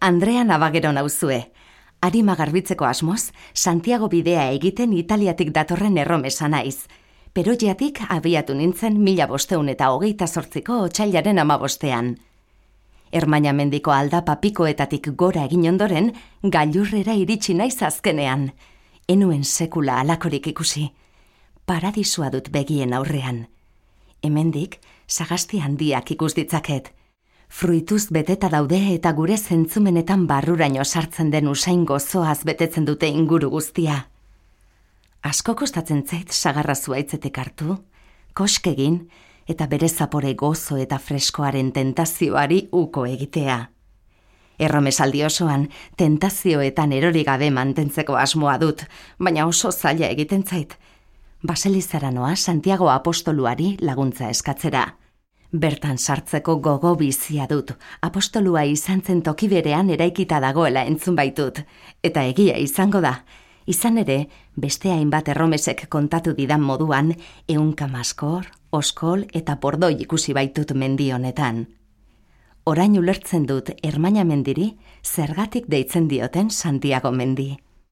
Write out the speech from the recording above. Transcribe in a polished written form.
Andrea Navagero nauzue. Arima garbitzeko asmoz, Santiago bidea egiten Italiatik datorren erromesa naiz. Peroiatik abiatu nintzen 1528ko otsailaren 15ean. Ermainamendiko aldapa pikoetatik gora egin ondoren, gailurrera iritsi naiz azkenean. Enuen sekula alakorik ikusi. Paradisua dut begien aurrean. Hemendik, sagasti handiak ikus ditzaket. Fruituz beteta daude eta gure zentzumenetan barruraino sartzen den usain gozoaz betetzen dute inguru guztia. Asko kostatzen zait sagarra zuaitzetek hartu, koskegin eta bere zapore gozo eta freskoaren tentazioari uko egitea. Erromesaldi osoan, tentazioetan erori gabe mantentzeko asmoa dut, baina oso zaila egiten zait. Baselizara noa Santiago apostoluari laguntza eskatzera. Bertan sartzeko gogo bizia dut, apostolua izan zen toki berean eraikita dagoela entzun baitut, eta egia izango da. Izan ere, beste hainbat erromesek kontatu didan moduan, 100 maskor, oskol eta bordoi ikusi baitut mendi honetan. Orain ulertzen dut Ermaina mendiri zergatik deitzen dioten Santiago mendi.